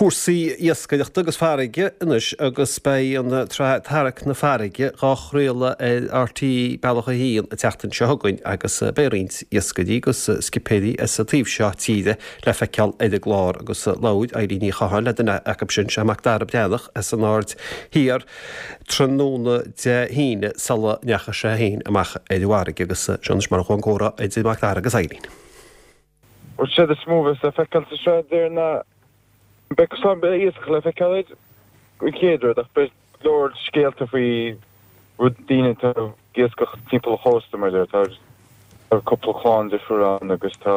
Cúrsaí iascaireachta agus farraige anois agus beidh an tsraith Tarrac na Farraige dhá chraoladh ar RTÉ Bealach 1 an tseachtain seo chugainn agus beidh roinnt iascairí agus scipéirí as an taobh seo tíre le feiceáil ar an gclár agus labhair Eileen Ní Chatháin le duine acu sin, sé Macdara Breathnach as an Aird Thiar tráthnóna Dé hAoine sula ndeachaigh sé féin amach ar an bhfarraige agus seo anois mar a chuaigh an comhrá idir Macdara agus Eileen. Bhuel, séard is mó a bheas le feiceáil sa sraith déarfainn ná beidh cosán beidh iascach le feiceáil air an chéad rud ach beidh go leor scéalta faoi rud daoine atá ag iascach timpeall an chósta mar a deir tá tá cúpla clann difriúil ann agus tá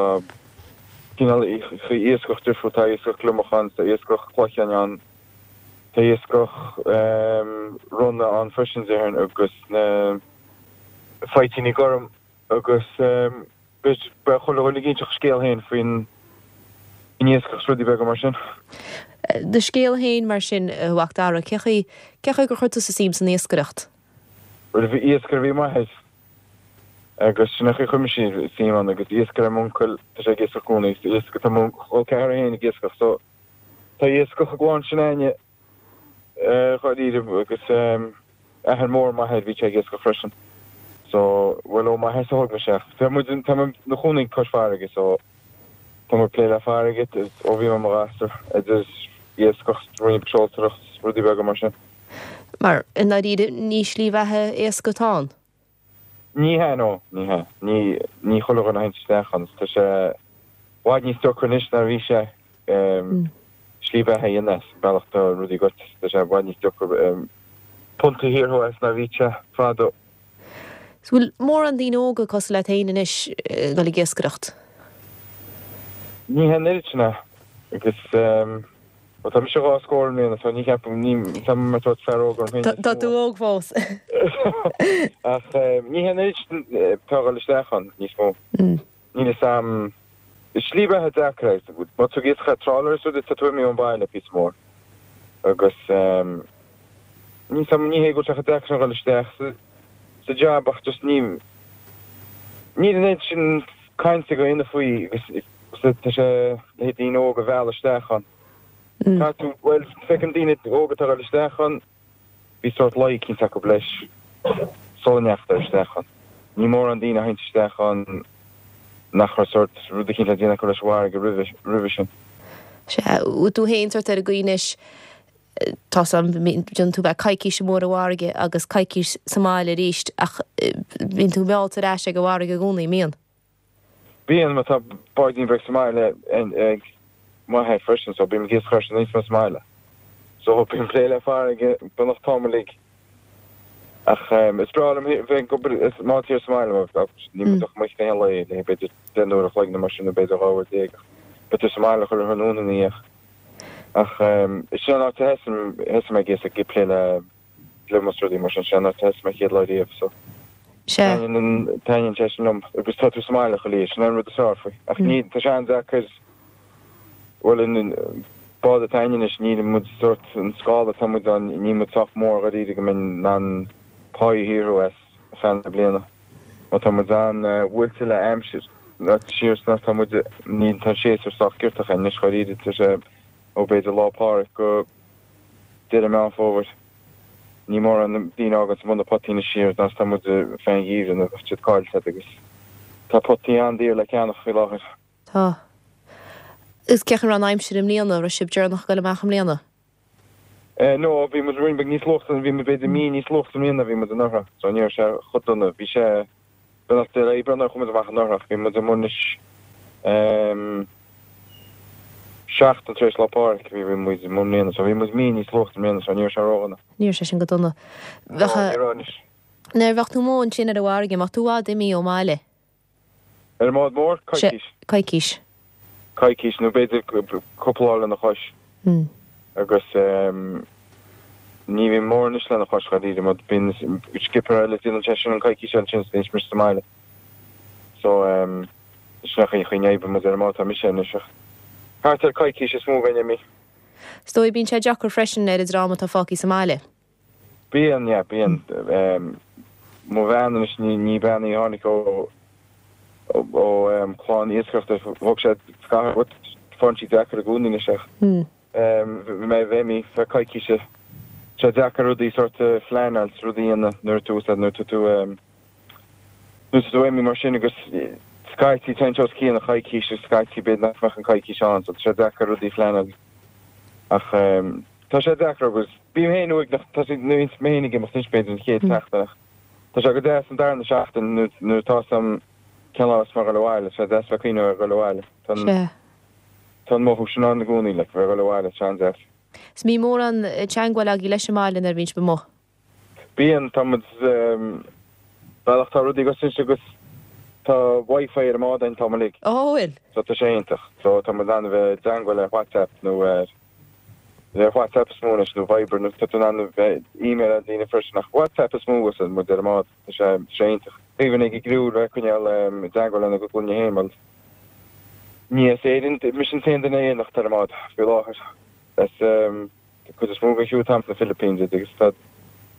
cineál iascach difriúil tá iascach gliomach ann tá iascach cloicheáin ann tá iascach ronna ann freisin déarfainn agus na faighteoirí gorm agus Beidh chuile dhuine ag inseacht a scéal féin faoin iascach is rudaí beaga mar sin. Do scéal féin mar sin, a Mhac Dara, cé chaoi, cé chaoi gur chuir tusa suim san iascaireacht? Bhuel, bhí iascaire a bhí i m'athair agus sin an chaoi a chuir mise suim ann agus iascaire m'uncail, tá sé ag iascach i gcónaí, tá mo chol ceathar féin ag iascach so tá iascach i gclann s'againne. Dháiríre agus athair mór m'athair bhí sé ag iascach freisin. So, bhuel ó m'athair-sa a thóg mise ach tá muid, tá mé 'mo chónaí cois farraige so tá mé ag plé le farraige ó bhí mé i mo ghasúr, idir iascach, roinnt seoltóireacht, rudaí beaga mar sin. Mar, i ndáiríre, ní slí bheatha éasca atá ann. Ní hea, no, ní hea. Ní, ní chuile dhuine a théanns isteach ann. Tá sé i bhfad níos deacra anois ná a bhí sé slí bheatha a dhéanamh as, an bealach atá rudaí goite. Tá sé i bhfad níos deacra punt a shaothrú as ná a bhí sé fadó. Is bhfuil mórán daoine óga cosúil leat féin anois ag dul ag iascaireacht? Ní hea an oiread sin é. Agus. Bhuel, tá mise dhá scór i mbliana, so ní cheapaim, ní, tá mé mar sórt fear óg orm féin níos Tá tú óg fós. Ach ní hé an oiread sin atá ag dul isteach ann níos mó. Níl fhios a'm, is slí bheatha deacair é. Má tá tú ag iascach ar trawler is rudaí, tá tú imithe ón bhaile píosa mór. Agus níl fhios a'm, ní hé go bhfuil sé chomh deacair sin a dhul isteach sa, sa jab ach just ní, níl an oiread sin cainte ag daoine faoi agus tá sé le daoine óga a mhealladh isteach ann. Tá tú, bhuel, feicim daoine óga atá ag dul isteach ann, bhí sórt luí eicínt acu leis sula ndeachadar isteach ann. Ní mórán daoine a théanns isteach ann nach raibh sórt rud eicínt le déanamh acu leis an bhfarraige roimhe, roimhe sin. Sea, bhfuil tú féin sórt ar an gcaoi anois, tá 's a'm, déanann tú bheith coicís amuigh ar an bhfarraige agus coicís sa mbaile arís ach bíonn tú meallta ar ais ag an bhfarraige i gcónaí, an mbíonn? Bíonn, mar tá báidín beag sa mbaile ag m'athair freisin so bím ag iascach air sin nuair atá mé sa mbaile. So bím ag plé le farraige beagnach an t-am uilig. Ach is breá liom bheith ag obair is má thiar sa mbaile mar níl muid ach amuigh aon lae le b'fhéidir 10 n-uair a chloig nó mar sin nó b'fhéidir 12 uair ach beidh tú sa mbaile chuile thráthnóna ina dhiaidh. Ach sin an áit a thosaigh mé ag iascach ag plé le gliomach is rudaí mar sin, sin an áit a thosaigh mé chéad lá riamh so Sea. taitníonn sé sin liom agus tá tú sa mbaile chuile oíche, sin an rud is fearr faoi. Ach ní, tá sé an-deacair, bhuel an bád atá againn anois níl muid sórt, an scála atá muid ann, níl muid sách mór dháiríre go mbeinn in ann pá a shaothrú as ar feadh na bliana. Má tá muid an-bhuailte le aimsir, siar sna tá muid, níl, tá an séasúr sách giortach anois dháiríre, tá sé ó b'fhéidir Lá Pádraig go deireadh Meán Fómhair. Ní mórán daoine a fháganns amuigh na potaí anois siar ná tá muid fén gheimhreadh nó bheadh siad caillte agat agus tá potaí an-daor le ceannach faoi láthair. Tá. Agus cén chaoi a raibh an aimsir i mbliana, raibh sibh deireanach ag dul amach i mbliana? No, bhí muid roinnt beag níos luaithe, bhí muid b'fhéidir mí níos luaithe i mbliana ná bhí muid anuraidh, so ní raibh sé chomh dona. Bhí sé beannacht Dé le Aoibreán nuair a chuaigh muid amach anuraidh ach bhí muid amuigh anois seachtain tar éis Lá Pádraig bhí bhí muid amuigh i mbliana so bhí muid mí níos luaithe i mbliana so ní raibh sé ródhona. Ní raibh sé sin go dona. No, ní raibh anois. Nuair a bheadh tú amuigh ansin ar an bhfarraige, an mbeadh tú i bhfad imithe ón mbaile? Ar an mbád mór? Coicís. Coicís. Coicís, nó b'fhéidir cúpla lá lena chois. Agus ní bhíonn mórán anois lena chois, dháiríre, mar bíonn skipper eile, déanann sé sin an coicís eile sin, is bíonn mise sa mbaile. So, sin an chaoi a n-oibríonn muid ar an mbád, tá mise anois ach thart ar coicís is mó a bheinn imithe. Is dóigh, bíonn sé deacair freisin ar an dream atá fágtha sa mbaile. Bíonn, yeah, bíonn. Mo bhean anois, ní bean í a tháinig ó ó chlann iascaireachta, thóg sé scaitheamh, faigheann sí deacair i gcónaí anois ach. Bhí mé bheith imithe feadh coicíse. Tá sé deacair rudaí sort a phleanáil 's rudaí a dhéanamh nuair atá tú nuair atá tú nuair atá tú imithe mar sin agus scaití téann sé os cionn an choicís agus scaití b'fhéidir nach mbeadh an coicís ann so tá sé deacair rudaí a phleanáil ach tá sé deacair agus bím féin uaigneach tá sé nuair a bhíonns mé féin ag imeacht anois b'fhéidir an chéad seachtain ach tá sé go deas an darna seachtain nuair nuair atá 's agam cén lá is mé ag dul abhaile tá sé deas bheith ag cuimhneamh ar dhul abhaile. Tá an Sea. Tá an mothú sin ann i gcónaí, like, bheith ag dul abhaile, tá sé an-deas. 'S mbíonn mórán teangmháil agaibh leis an mbaile nuair a bhíonn sibh amuigh? Bíonn, tá muid, bhuel ach tá rudaí agus anois agus tá Wi-Fi ar an mbád an t-am uilig. Ó, bhfuil? So tá sé iontach. So tá muid in ann a bheith i dteangmháil ar WhatsApp nó ar, ar WhatsApp is mó anois nó Viber nó tá tú in ann a bheith email ar daoine freisin ach WhatsApp is mó agus muid ar an mbád. Tá sé, tá sé iontach. Aoibhinn ag an gcriú bheith ag coinneáil i dteangmháil lena gcuid clainne féin, bhuel, ní as Éirinn, mise an t-aon duine Éireannach atá ar an mbád faoi láthair. As an cuid is mó den chriú atá sna Philippines agus tá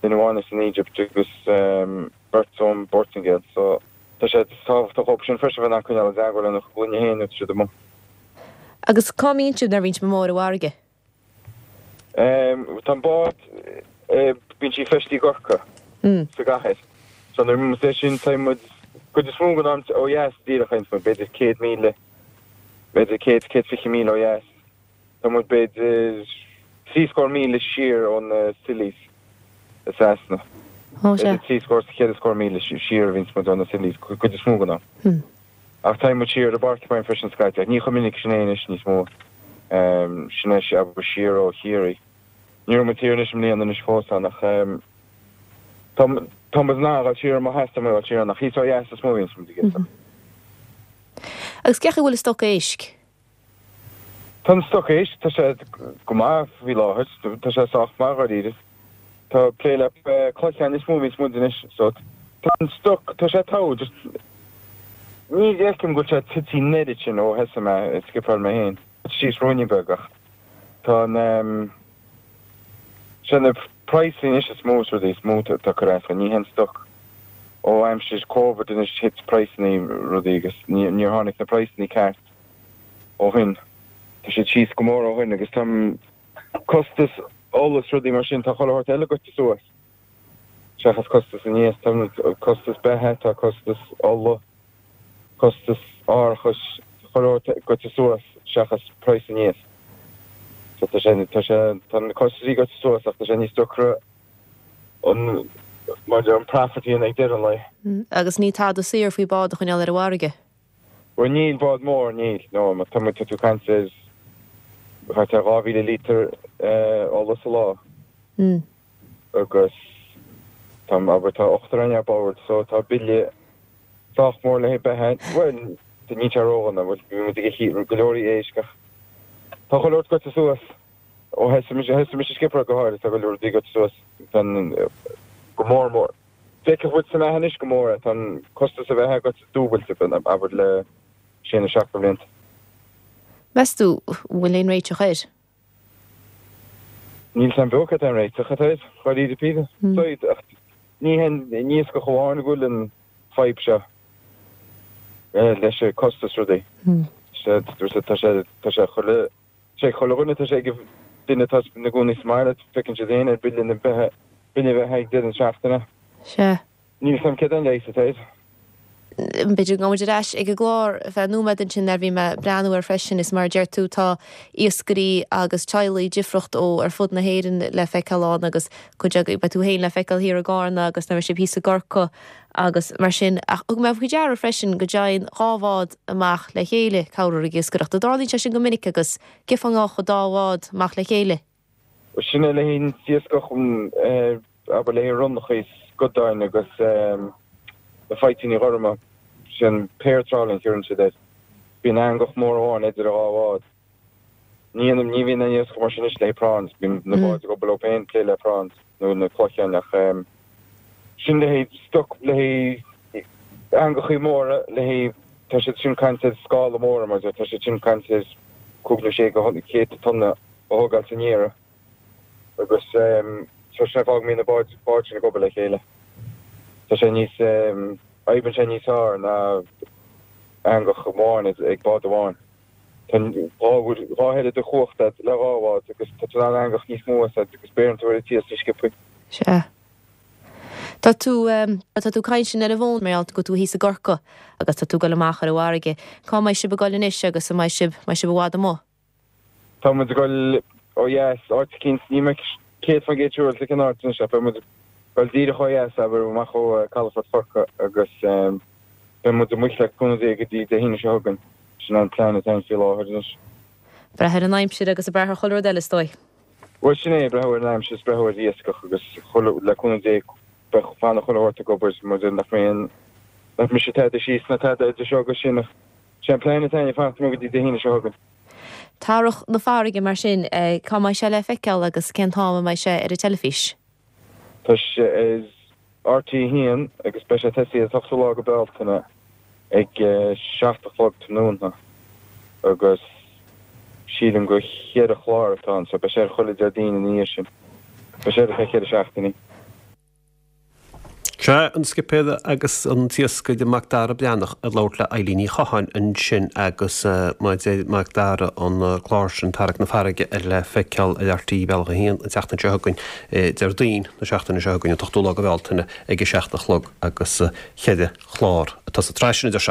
duine amháin as an Egypt agus beirt ón bPortaingéil so tá sé tábhachtach dhóibh sin freisin bheith in ann coinneáil i dteangmháil lena gcuid clainne féin nuair atá siad amuigh. Agus cá mbíonn sibh nuair a bhíonn sibh amuigh ar an bhfarraige? Tá an bád, bíonn sí feistithe i gCorcaigh, sa gcathair. So nuair a bhíonn muid sin, tá muid, cuid is mó den am ó dheas díreach, tá muid b'fhéidir 100 míle, b'fhéidir 100, 120 míle ó dheas. Tá muid b'fhéidir trí scór míle siar ó na Scillies i Sasana. B'fhéidir trí scór, ceithre scór míle siar a bhíonns muid ó na Scillies, cuid is mó den am. Ach téann muid siar ar an bPorcupine freisin scaití, ach ní chomh minic sin é anois níos mó. Sin é abair siar ó Chiarraí. Ní raibh muid thiar anois i mbliana anois fós ann ach tá tá muid in ann a dhul siar má theastaíonn uainn a dhul siar ann ach thíos ó dheas is mó a bhíonns muid ag iascach. Agus cén chaoi a bhfuil an stoc éisc? Tá an stoc éisc, tá sé go maith faoi láthair, tá sé sách maith dháiríre. Tá plé le cloicheáin is mó a bhíonns muid anois so tá an stoc, tá sé togha, just ní fheicim go bhfuil sé tite an oiread sin ó thosaigh mé ag scipeáil mé féin. Síos ruainne beag ach tá an, sé na praghsanna anois is mó is rudaí is mó atá ag cur as, ní hé an stoc. Ó aimsir Covid anois thit praghsanna rudaí agus níor tháinig na praghsanna ceart. ó shin. Tá siad síos go mór ó shin agus tá costas ola is rudaí mar sin, tá chuile shórt eile goite suas seachas costas an iasc. Tá costas beatha, tá costas ola, costas árachais, tá chuile shórt goite suas seachas praghas an iasc. So tá sé, tá sé, tá na costaisí goite suas ach tá sé níos deacra an, mar a deir, an profit a dhéanamh ag deireadh an lae. Agus ní tada saor faoi bád a choinneáil ar an bhfarraige. Bhuel níl, bád mór, níl, no, má tá muid, tá tú ag caint ar thart ar 2,000 lítear ola sa lá agus tá, abair, tá ochtar againn ar bord so tá bille sách mór le haghaidh beatha, bhuel, níl sé ródhona, bhuel, bhí muid ag ithe go leor éisc ach tá chuile shórt goite suas ó thosaigh mise, thosaigh mise ag scipeáil go háirithe, tá go leor rudaí goite suas, tá an, go mór mór. Feicfidh muid sa mbeatha anois go mór é. Tá an costas a bheatha goite dúbailte, abair, le sé nó seacht de bhlianta. Meas tú an bhfuil aon réiteach air? Níl 's a'm beo cad é an réiteach atá air, dháiríre píre. Said, ach ní hé an iascach amháin a bhfuil an fadhb seo leis an costas rudaí. Tá sé, tá sé chuile Sé chuile dhuine, tá sé ag duine atá ina gcónaí sa mbaile, feiceann siad féin ar bille na beatha, bille beatha ag deireadh na seachtaine. Sea. Níl 's a'm céard é an leigheas atá air. B'fhéidir go ngabhfaidh muid ar ais ag an gclár ar feadh nóiméad ansin nuair a bhí mé ag breathnú air freisin is mar a deir tú tá iascairí agus teaghlaigh difriúil ó ar fud na hÉireann le feiceáil ann agus cuid acu beidh tú féin le feiceáil thiar i gCarna agus nuair a bheidh sibh thíos i gCorcaigh agus mar sin. Ach thug mé faoi deara freisin go dtéann dhá bhád amach le chéile corruair ag iascaireacht. An dtarlaíonn sé sin go minic agus cén fáth a ngabhfadh dá bhád amach le chéile? Bhuel, sin é le haghaidh an iascach, abair, le haghaidh ronnacha is scadáin agus na faighteanna gorma. Sin pair trawling a chuireann siad air. Bíonn eangach mór amháin idir an dhá bhád. Ní dhéanaim, ní bhíonn aon iascach mar sin anois le haghaidh prawns, bíonn na báid ag obair leo féin, plé le prawns nó na cloicheáin ach sin le haghaidh stoc, le haghaidh eangachaí móra, le haghaidh, tá siad sin caint ar scála móra mar tá siad sin caint ar cúig nó sé go céadta tonna a thógáil san iarraidh agus so sin an fáth go mbíonn na báid, báid sin ag obair le chéile. Tá sé níos, oibríonn sé níos fearr ná eangach amháin ag bád amháin. Tá 2 oiread de chumhacht agat le 2 bhád agus tá tú in ann eangach níos mó a úsáid agus beireann tú ar an t-iasc níos sciobthaí. Sea. Tá tú, tá tú ag caint linn ar an bhfón mar gheall go bhfuil tú thíos i gCorcaigh agus tá tú ag dul amach ar an bhfarraige. Cá mbeidh sibh ag dul anois agus an mbeidh sibh, mbeidh sibh i bhfad amuigh? Tá muid ag dul ó dheas, áit eicínt, níl mé 100% siúráilte cén áit anois ach beidh muid ag dul díreach ó dheas, abair, amach ó Calafort Chorcaí agus beidh muid amuigh le cúnamh Dé go dtí Dé hAoine seo chugainn. Sin an plean atá againn faoi láthair anois. Brath ar an aimsir agus ag brath ar chuile rud eile is dóigh. Bhuel, sin é, brath ar an aimsir is brath ar iascach agus chuile, le cúnamh Dé, beidh fanfaidh chuile shórt ag obair mar nach mbeidh aon, nach mbeidh sé tada síos ná tada idir seo agus sin ach sé an plean atá againn fanacht amuigh go dtí Dé hAoine seo chugainn. Tarrac na Farraige mar sin, cá mbeidh sé le feiceáil agus cén t-am a mbeidh sé ar an teilifís? Tá sé ar RTÉ 1 agus beidh sé tosaithe an t-ochtú lá go Bealtaine ag 7 a chlog tráthnóna agus sílim gur cheithre chlár atá ann so beidh sé ar chuile Déardaoin ina dhiaidh sin. Beidh sé ar feadh cheithre seachtainí. Sea, an scipéir agus an t-iascaire Macdara Breathnach ag labhairt le Eilín Ní Chatháin ansin agus mar a deir Macdara an clár sin Tarrac na Farraige le feiceáil ar RTÉ Bealach 1 an tseachtain seo chugainn, Déardaoin na seachtaine seo chugainn, an t-ochtú lá go Bealtaine ag a 7 a chlog agus cheithre chlár atá sa tsraith sin, a deir sé.